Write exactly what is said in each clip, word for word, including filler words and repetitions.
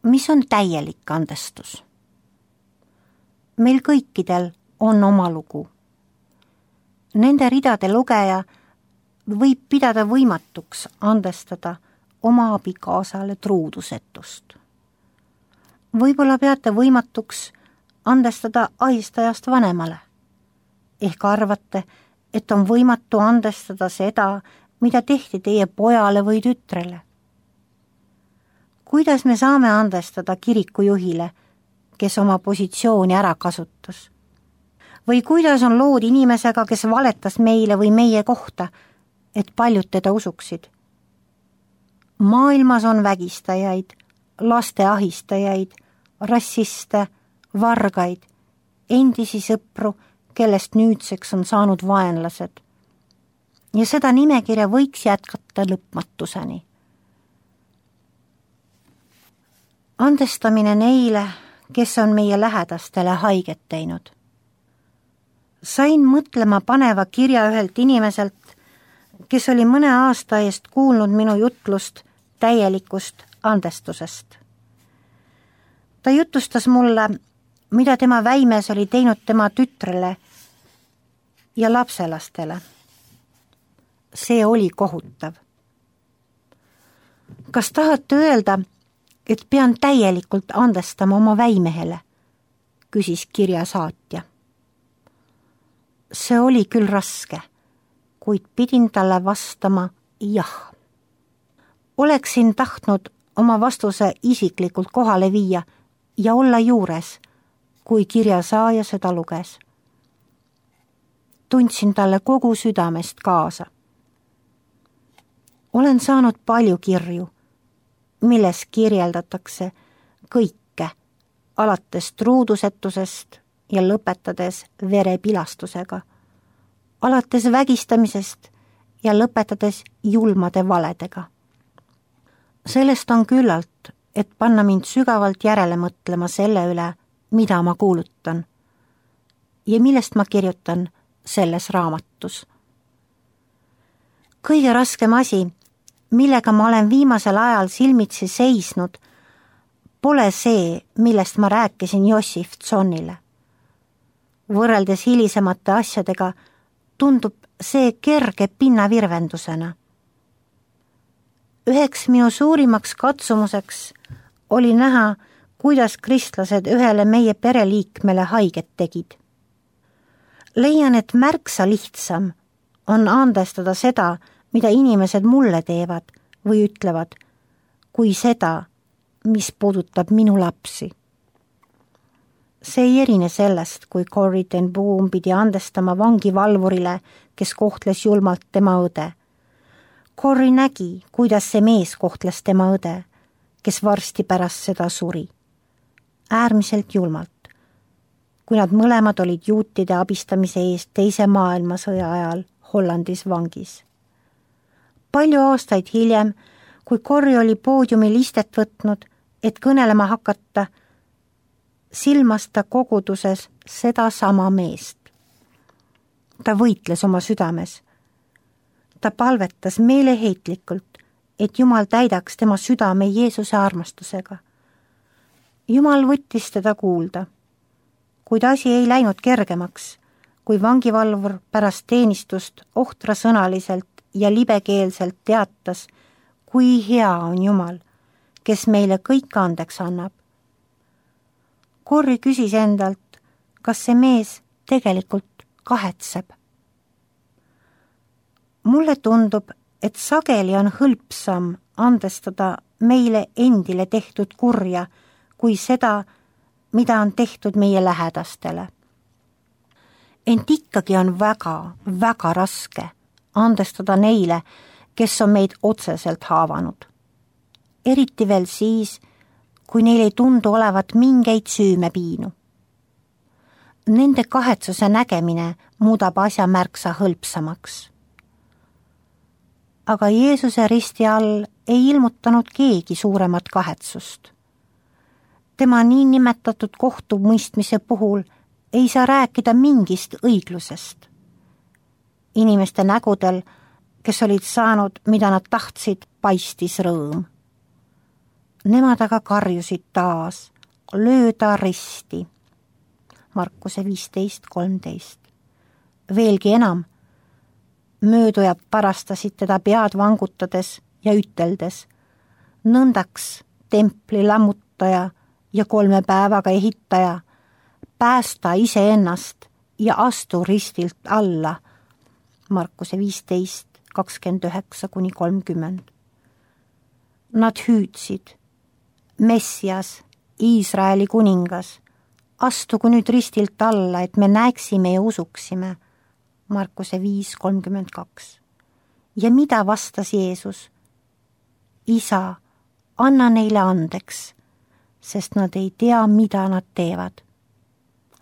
mis on täielik andestus? Meil kõikidel on oma lugu. Nende ridade lugeja võib pidada võimatuks andestada oma abikaasale truudusetust. Võib-olla peate võimatuks andestada ahistajast vanemale. Ehk arvate, et on võimatu andestada seda, mida tehti teie pojale või tütrele. Kuidas me saame andestada kirikujuhile, kes oma positsiooni ära kasutas? Või kuidas on lood inimesega, kes valetas meile või meie kohta, et paljud teda usuksid? Maailmas on vägistajaid, laste ahistajaid, rassiste, vargaid, endisi sõpru, kellest nüüdseks on saanud vaenlased. Ja seda nimekirja võiks jätkata lõpmatuseni. Andestamine neile, kes on meie lähedastele haiget teinud. Sain mõtlema paneva kirja ühelt inimeselt, kes oli mõne aasta eest kuulnud minu jutlust täielikust andestusest. Ta jutustas mulle, mida tema väimes oli teinud tema tütrele ja lapselastele. See oli kohutav. Kas tahate öelda, et pean täielikult andestama oma väimehele? Küsis kirja saatja. See oli küll raske, kuid pidin talle vastama jah. Oleksin tahtnud oma vastuse isiklikult kohale viia ja olla juures, kui kirja saaja seda luges. Tundsin talle kogu südamest kaasa. Olen saanud palju kirju, milles kirjeldatakse kõike, alates truudusetusest ja lõpetades verepilastusega, alates vägistamisest ja lõpetades julmade valedega. Sellest on küllalt, et panna mind sügavalt järele mõtlema selle üle, mida ma kuulutan ja millest ma kirjutan selles raamatus. Kõige raskem asi, millega ma olen viimasel ajal silmitsi seisnud, pole see, millest ma rääkisin Jossif Tsonnile. Võrreldes hilisemate asjadega tundub see kerge pinnavirvendusena. Üheks minu suurimaks katsumuseks oli näha, kuidas kristlased ühele meie pereliikmele haiget tegid. Leian, et märksa lihtsam on andestada seda, mida inimesed mulle teevad või ütlevad, kui seda, mis puudutab minu lapsi. See ei erine sellest, kui Corrie ten Boom pidi andestama vangivalvurile, kes kohtles julmalt tema õde. Corrie nägi, kuidas see mees kohtles tema õde, kes varsti pärast seda suri. Äärmiselt julmalt, kui nad mõlemad olid juutide abistamise eest teise maailmasõja ajal Hollandis vangis. Palju aastaid hiljem, kui Corrie oli poodiumil istet võtnud, et kõnelema hakata, silmas ta koguduses seda sama meest. Ta võitles oma südames. Ta palvetas meeleheitlikult, et Jumal täidaks tema südame Jeesuse armastusega. Jumal võttis teda kuulda, kuid asi ei läinud kergemaks, kui vangivalvur pärast teenistust ohtrasõnaliselt ja libekeelselt teatas, kui hea on Jumal, kes meile kõik andeks annab. Corrie küsis endalt, kas see mees tegelikult kahetseb. Mulle tundub, et sageli on hõlpsam andestada meile endile tehtud kurja, kui seda, mida on tehtud meie lähedastele. Ent ikkagi on väga, väga raske andestada neile, kes on meid otseselt haavanud. Eriti veel siis, kui neil ei tundu olevat mingeid süümepiinu. Nende kahetsuse nägemine muudab asja märksa hõlpsamaks. Aga Jeesuse risti all ei ilmutanud keegi suuremat kahetsust. Tema niin nimetatud kohtumõistmise puhul ei saa rääkida mingist õiglusest. Inimeste nägudel, kes olid saanud, mida nad tahtsid, paistis rõõm. Nemad aga karjusid taas, löö ta risti. Markuse viisteist kolmteist. Veelgi enam, möödujad parastasid teda pead vangutades ja üteldes, nõndaks templi lammutaja ja kolme päevaga ehitaja, päästa iseennast ja astu ristilt alla. Markuse viisteist kakskümmend üheksa kuni kolmkümmend. Nad hüüdsid, Messias, Iisraeli kuningas, astugu nüüd ristilt alla, et me näeksime ja usuksime. Markuse viis kolmkümmend kaks. Ja mida vastas Jeesus? Isa, anna neile andeks, sest nad ei tea, mida nad teevad.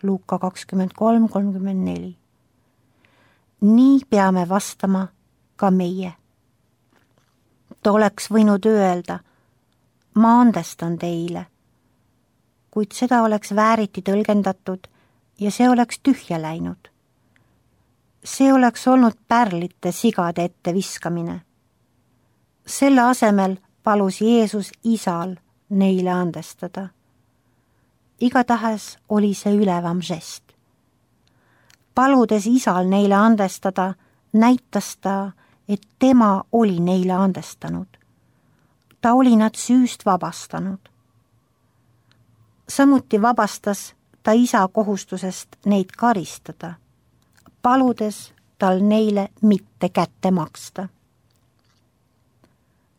Luuka kakskümmend kolm kolmkümmend neli. Nii peame vastama ka meie. Ta oleks võinud öelda, ma andestan teile, kuid seda oleks vääriti tõlgendatud ja see oleks tühja läinud. See oleks olnud pärlite sigade ette viskamine. Selle asemel palus Jeesus isal neile andestada. Igatahes oli see ülevam žest. Paludes isal neile andestada, näitas ta, et tema oli neile andestanud. Ta oli nad süüst vabastanud. Samuti vabastas ta isa kohustusest neid karistada, paludes tal neile mitte kätte maksta.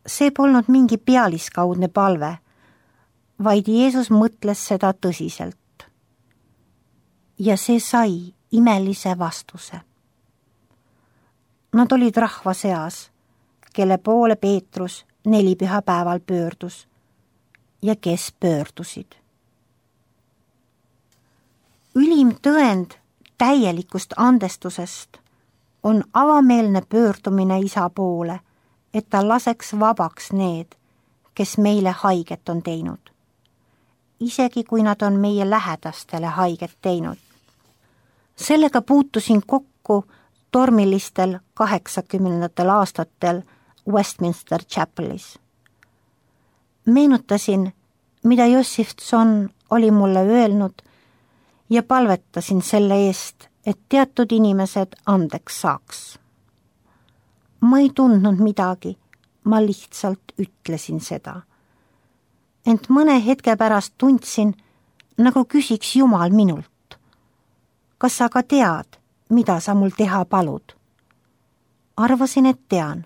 See polnud mingi pealiskaudne palve, vaid Jeesus mõtles seda tõsiselt. Ja see sai imelise vastuse. Nad olid rahva seas, kelle poole Peetrus nelipühapäeval pöördus ja kes pöördusid. Ülim tõend täielikust andestusest on avameelne pöördumine isa poole, et ta laseks vabaks need, kes meile haiget on teinud, isegi kui nad on meie lähedastele haiget teinud. Sellega puutusin kokku tormilistel kaheksakümnendatel aastatel Westminster Chapelis. Meenutasin, mida Jossif Tson oli mulle öelnud ja palvetasin selle eest, et teatud inimesed andeks saaks. Ma ei tundnud midagi, ma lihtsalt ütlesin seda. Ent mõne hetke pärast tundsin, nagu küsiks Jumal minult. Kas sa ka tead, mida sa mul teha palud? Arvasin, et tean.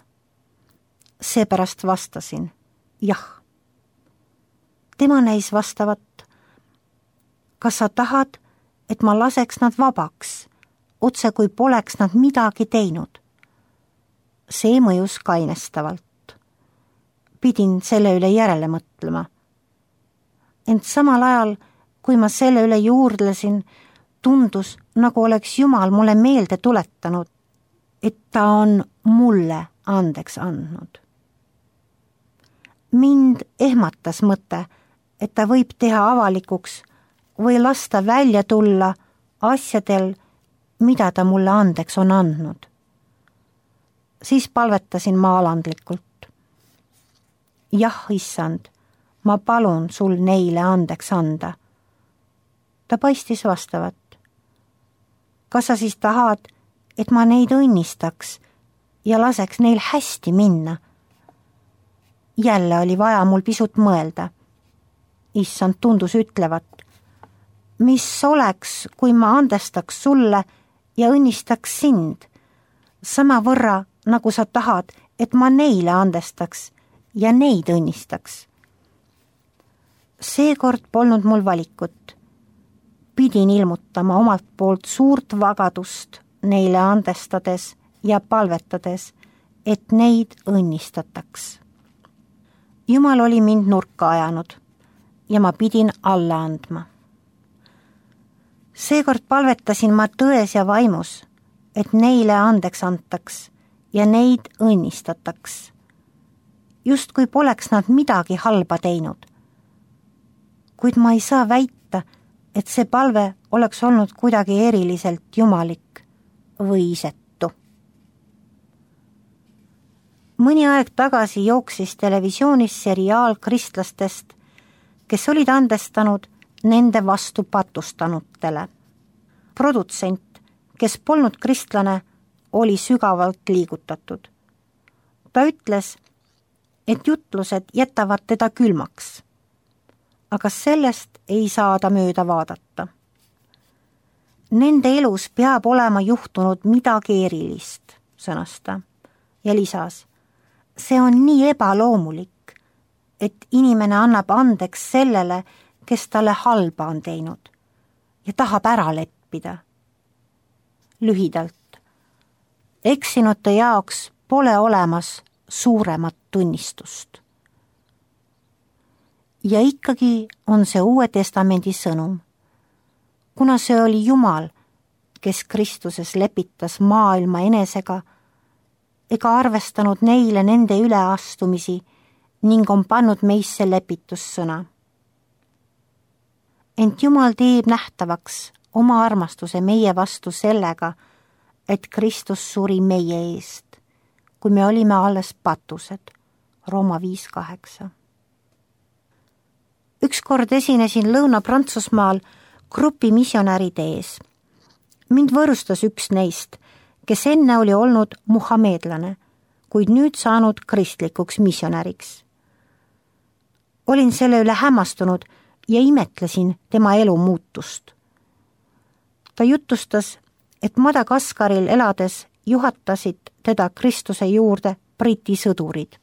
Seepärast vastasin, jah. Tema näis vastavat, kas sa tahad, et ma laseks nad vabaks, otse kui poleks nad midagi teinud? See mõjus kainestavalt. Pidin selle üle järele mõtlema. Ent samal ajal, kui ma selle üle juurdlesin, tundus, nagu oleks Jumal mulle meelde tuletanud, et ta on mulle andeks andnud. Mind ehmatas mõte, et ta võib teha avalikuks või lasta välja tulla asjadel, mida ta mulle andeks on andnud. Siis palvetasin ma alandlikult. Jah, issand, ma palun sul neile andeks anda. Ta paistis vastavat. Kas sa siis tahad, et ma neid õnnistaks ja laseks neil hästi minna? Jälle oli vaja mul pisut mõelda. Issand tundus ütlevat, mis oleks, kui ma andestaks sulle ja õnnistaks sind, sama võrra, nagu sa tahad, et ma neile andestaks ja neid õnnistaks. Seekord polnud mul valikut. Pidin ilmutama omalt poolt suurt vagadust neile andestades ja palvetades, et neid õnnistataks. Jumal oli mind nurka ajanud ja ma pidin alla andma. Seekord palvetasin ma tões ja vaimus, et neile andeks antaks ja neid õnnistataks. Just kui poleks nad midagi halba teinud. Kuid ma ei saa väita, et see palve oleks olnud kuidagi eriliselt jumalik või isetu. Mõni aeg tagasi jooksis televisioonis seriaal kristlastest, kes olid andestanud nende vastu patustanutele. Produtsent, kes polnud kristlane, oli sügavalt liigutatud. Ta ütles, et jutlused jätavad teda külmaks, aga sellest ei saa ta mööda vaadata. Nende elus peab olema juhtunud midagi erilist, sõnas ta, ja lisas, see on nii ebaloomulik, et inimene annab andeks sellele, kes talle halba on teinud ja tahab ära leppida. Lühidalt, eksinute jaoks pole olemas suuremat tunnistust. Ja ikkagi on see Uue Testamendi sõnum. Kuna see oli Jumal, kes Kristuses lepitas maailma enesega, ega arvestanud neile nende üleastumisi ning on pannud meisse lepitussõna. Ent Jumal teeb nähtavaks oma armastuse meie vastu sellega, et Kristus suri meie eest, kui me olime alles patused. Rooma viis kaheksa. Ükskord esinesin Lõuna-Prantsusmaal grupi missionäride ees. Mind võõrustas üks neist, kes enne oli olnud muhameedlane, kuid nüüd saanud kristlikuks missionäriks. Olin selle üle hämmastunud ja imetlesin tema elu muutust. Ta jutustas, et Madagaskaril elades juhatasid teda Kristuse juurde Briti sõdurid.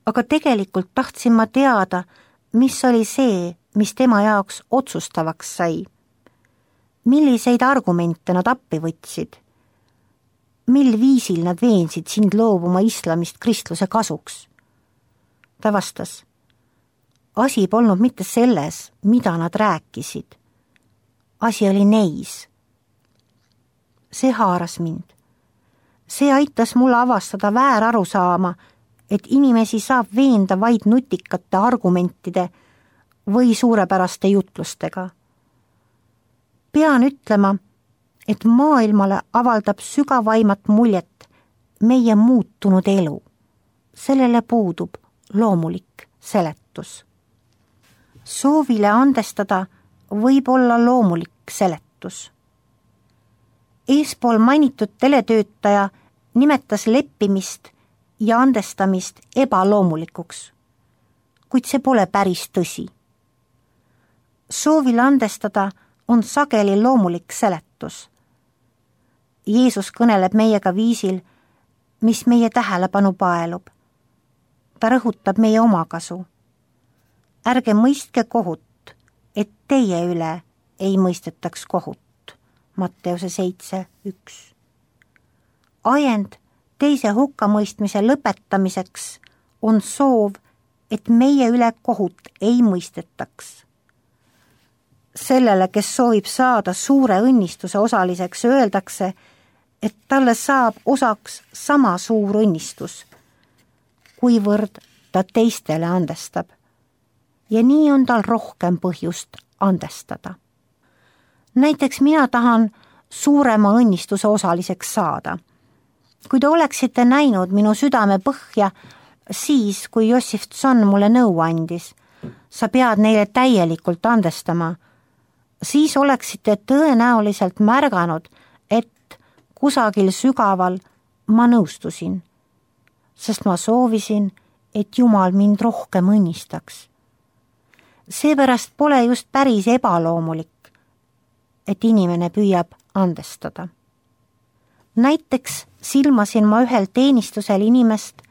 Aga tegelikult tahtsin ma teada, mis oli see, mis tema jaoks otsustavaks sai. Milliseid argumente nad appi võtsid? Mil viisil nad veensid sind loobuma islamist kristluse kasuks? Ta vastas, asi polnud mitte selles, mida nad rääkisid. Asi oli neis. See haaras mind. See aitas mulle avastada väärarusaama, et inimesi saab veenda vaid nutikate argumentide või suurepäraste jutlustega. Pean ütlema, et maailmale avaldab sügavaimat muljet meie muutunud elu. Sellele puudub loomulik seletus. Soovile andestada võib olla loomulik seletus. Eespool mainitud teletöötaja nimetas leppimist ja andestamist ebaloomulikuks, kuid see pole päris tõsi. Soovile andestada on sageli loomulik seletus. Jeesus kõneleb meiega viisil, mis meie tähelepanu paelub. Ta rõhutab meie omakasu. Ärge mõistke kohut, et teie üle ei mõistetaks kohut. Matteuse seitse üks. Ajend teise hukkamõistmise lõpetamiseks on soov, et meie üle kohut ei mõistetaks. Sellele, kes soovib saada suure õnnistuse osaliseks, öeldakse, et talle saab osaks sama suur õnnistus, kuivõrd ta teistele andestab. Ja nii on tal rohkem põhjust andestada. Näiteks mina tahan suurema õnnistuse osaliseks saada. Kui te oleksite näinud minu südame põhja, siis kui Jossif Tson mulle nõu andis, sa pead neile täielikult andestama, siis oleksite tõenäoliselt märganud, et kusagil sügaval ma nõustusin, sest ma soovisin, et Jumal mind rohkem õnnistaks. Seepärast pole just päris ebaloomulik, et inimene püüab andestada. Näiteks silmasin ma ühel teenistusel inimest,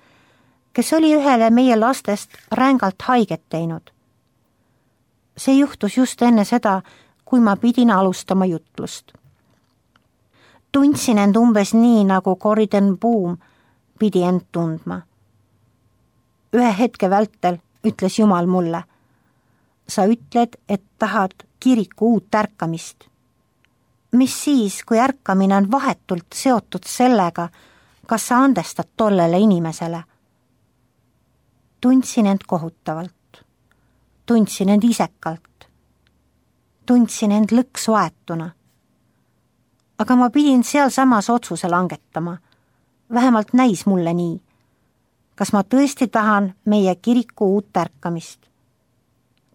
kes oli ühele meie lastest rängalt haiget teinud. See juhtus just enne seda, kui ma pidin alustama jutlust. Tundsin end umbes nii, nagu Corriden Boom pidi end tundma. Ühe hetke vältel ütles Jumal mulle, sa ütled, et tahad kiriku uut ärkamist. Mis siis, kui ärkamine on vahetult seotud sellega, kas sa andestad tollele inimesele? Tundsin end kohutavalt. Tundsin end isekalt. Tundsin end lõksu aetuna. Aga ma pidin seal samas otsuse langetama. vähemalt näis mulle nii. Kas ma tõesti tahan meie kiriku uut ärkamist?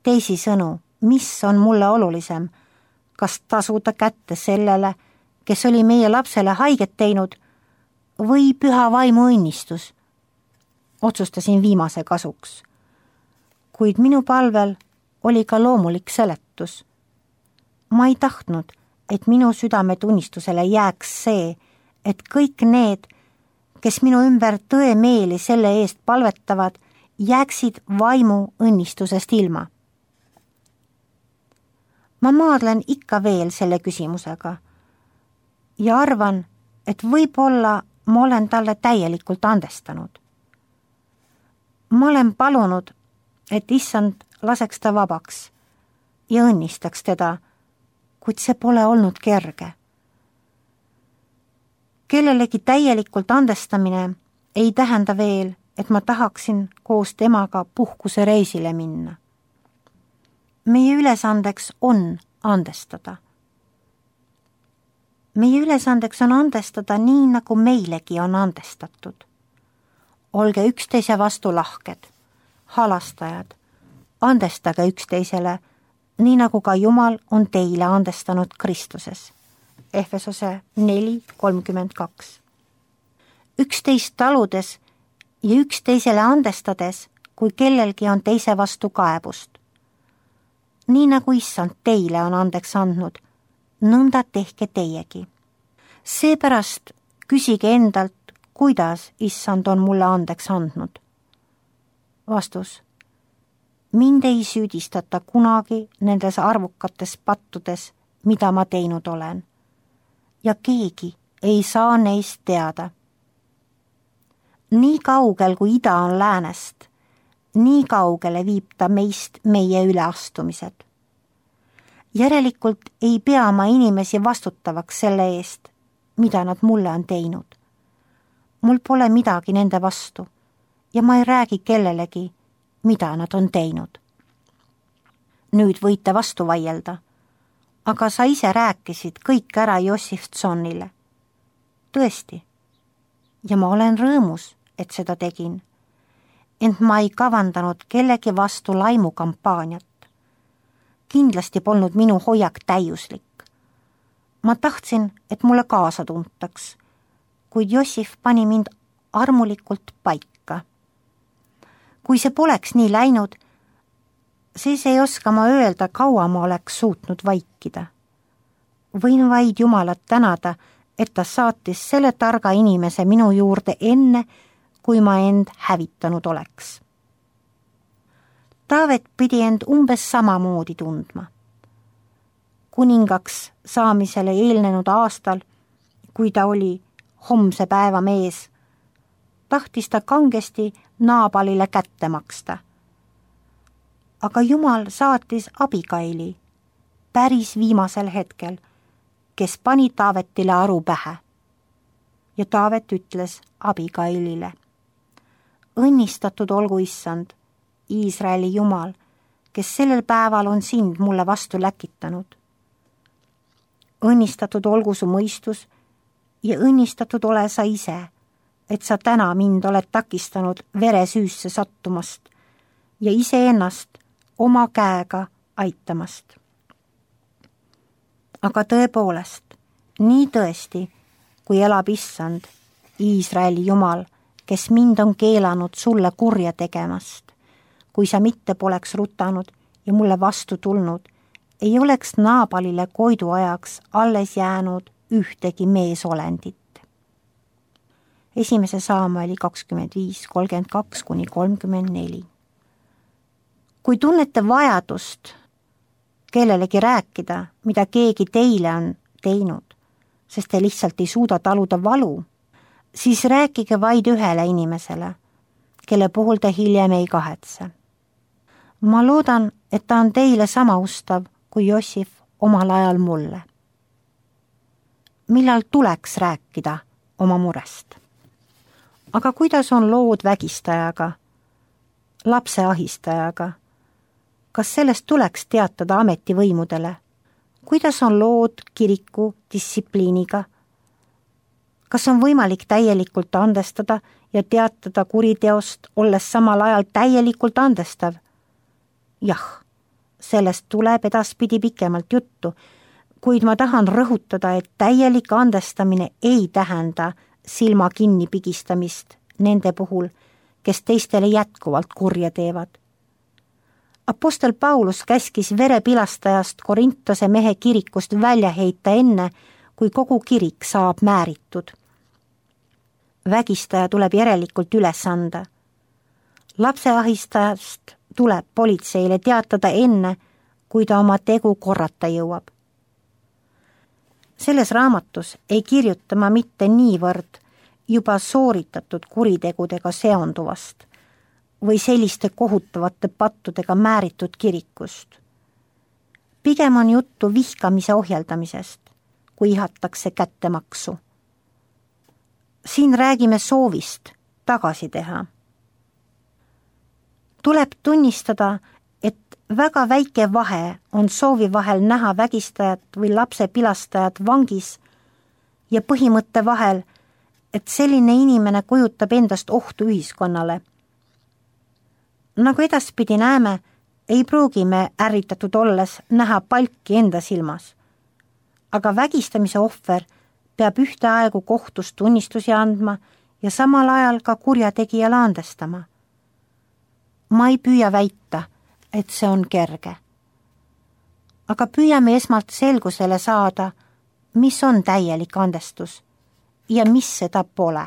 Teisisõnu, mis on mulle olulisem? Kas tasuda kätte sellele, kes oli meie lapsele haiget teinud, või püha vaimu õnnistus? Otsustasin viimase kasuks. Kuid minu palvel oli ka loomulik seletus. Ma ei tahtnud, et minu südametunnistusele jääks see, et kõik need, kes minu ümber tõemeeli selle eest palvetavad, jääksid vaimu õnnistusest ilma. Ma maadlen ikka veel selle küsimusega ja arvan, et võib-olla ma olen talle täielikult andestanud. Ma olen palunud, et issand laseks ta vabaks ja õnnistaks teda, kuid see pole olnud kerge. Kellelegi täielikult andestamine ei tähenda veel, et ma tahaksin koos temaga puhkuse reisile minna. Meie ülesandeks on andestada. Meie ülesandeks on andestada nii, nagu meilegi on andestatud. Olge üksteise vastu lahked, halastajad, andestage üksteisele, nii nagu ka Jumal on teile andestanud Kristuses. Efesose neli kolmkümmend kaks. Üksteist taludes ja üksteisele andestades, kui kellelgi on teise vastu kaebust. Nii nagu issand teile on andeks andnud, nõnda tehke teiegi. Seepärast küsige endalt, kuidas issand on mulle andeks andnud. Vastus. Mind ei süüdistata kunagi nendes arvukates pattudes, mida ma teinud olen. Ja keegi ei saa neist teada. Nii kaugel, kui ida on läänest, nii kaugele viib ta meist meie üleastumised. Järelikult ei pea ma inimesi vastutavaks selle eest, mida nad mulle on teinud. Mul pole midagi nende vastu ja ma ei räägi kellelegi, mida nad on teinud. Nüüd võite vastu vaielda, aga sa ise rääkisid kõik ära Jossifsonile. Tõesti, ja ma olen rõõmus, et seda tegin. Ent ma ei kavandanud kellegi vastu laimukampaaniat. Kindlasti polnud minu hoiak täiuslik. Ma tahtsin, et mulle kaasa tuntaks, kuid Jossif pani mind armulikult paika. Kui see poleks nii läinud, siis ei oska ma öelda, kaua ma oleks suutnud vaikida. Võin vaid Jumalat tänada, et ta saatis selle targa inimese minu juurde enne, kui ma end hävitanud oleks. Taavet pidi end umbes samamoodi tundma. Kuningaks saamisele eelnenud aastal, kui ta oli homse päeva mees, tahtis ta kangesti Naabalile kätte maksta. Aga Jumal saatis Abigaili päris viimasel hetkel, kes pani Taavetile aru pähe. Ja Taavet ütles Abigailile: õnnistatud olgu issand, Iisraeli Jumal, kes sellel päeval on sind mulle vastu läkitanud. Õnnistatud olgu su mõistus ja õnnistatud ole sa ise, et sa täna mind oled takistanud veresüüsse sattumast ja iseennast oma käega aitamast. Aga tõepoolest, nii tõesti, kui elab issand, Iisraeli Jumal, kes mind on keelanud sulle kurja tegemast, kui sa mitte poleks rutanud ja mulle vastu tulnud, ei oleks Naabalile koidu ajaks alles jäänud ühtegi meesolendit. Esimese Saamueli kakskümmend viis kolmkümmend kaks kuni kolmkümmend neli. Kui tunnete vajadust kellelegi rääkida, mida keegi teile on teinud, sest te lihtsalt ei suuda taluda valu, siis rääkige vaid ühele inimesele, kelle puhul te hiljem ei kahetse. Ma loodan, et ta on teile sama ustav kui Jossif omal ajal mulle. Millal tuleks rääkida oma murest? Aga kuidas on lood vägistajaga, lapse ahistajaga? Kas sellest tuleks teatada ametivõimudele? Kuidas on lood kiriku distsipliiniga? kas on võimalik täielikult andestada ja teatada kuriteost, olles samal ajal täielikult andestav? Jah, sellest tuleb edaspidi pikemalt juttu, kuid ma tahan rõhutada, et täielik andestamine ei tähenda silma kinni pigistamist nende puhul, kes teistele jätkuvalt kurja teevad. Apostel Paulus käskis verepilastajast Korintose mehe kirikust välja heita enne, kui kogu kirik saab määritud. Vägistaja tuleb järelikult üles anda. Lapseahistajast tuleb politseile teatada enne, kui ta oma tegu korrata jõuab. Selles raamatus ei kirjuta ma mitte niivõrd juba sooritatud kuritegudega seonduvast või selliste kohutavate pattudega määritud kirikust. Pigem on juttu vihkamise ohjeldamisest, kui ihatakse kättemaksu. Siin räägime soovist tagasi teha. Tuleb tunnistada, et väga väike vahe on soovi vahel näha vägistajat või lapse pilastajat vangis ja põhimõtte vahel, et selline inimene kujutab endast ohtu ühiskonnale. Nagu edaspidi näeme, ei pruugi me ärritatud olles näha palki enda silmas, aga vägistamise ohver peab ühteaegu kohtus tunnistusi andma ja samal ajal ka kurjategijale andestama. Ma ei püüa väita, et see on kerge. Aga püüame esmalt selgusele saada, mis on täielik andestus ja mis seda pole.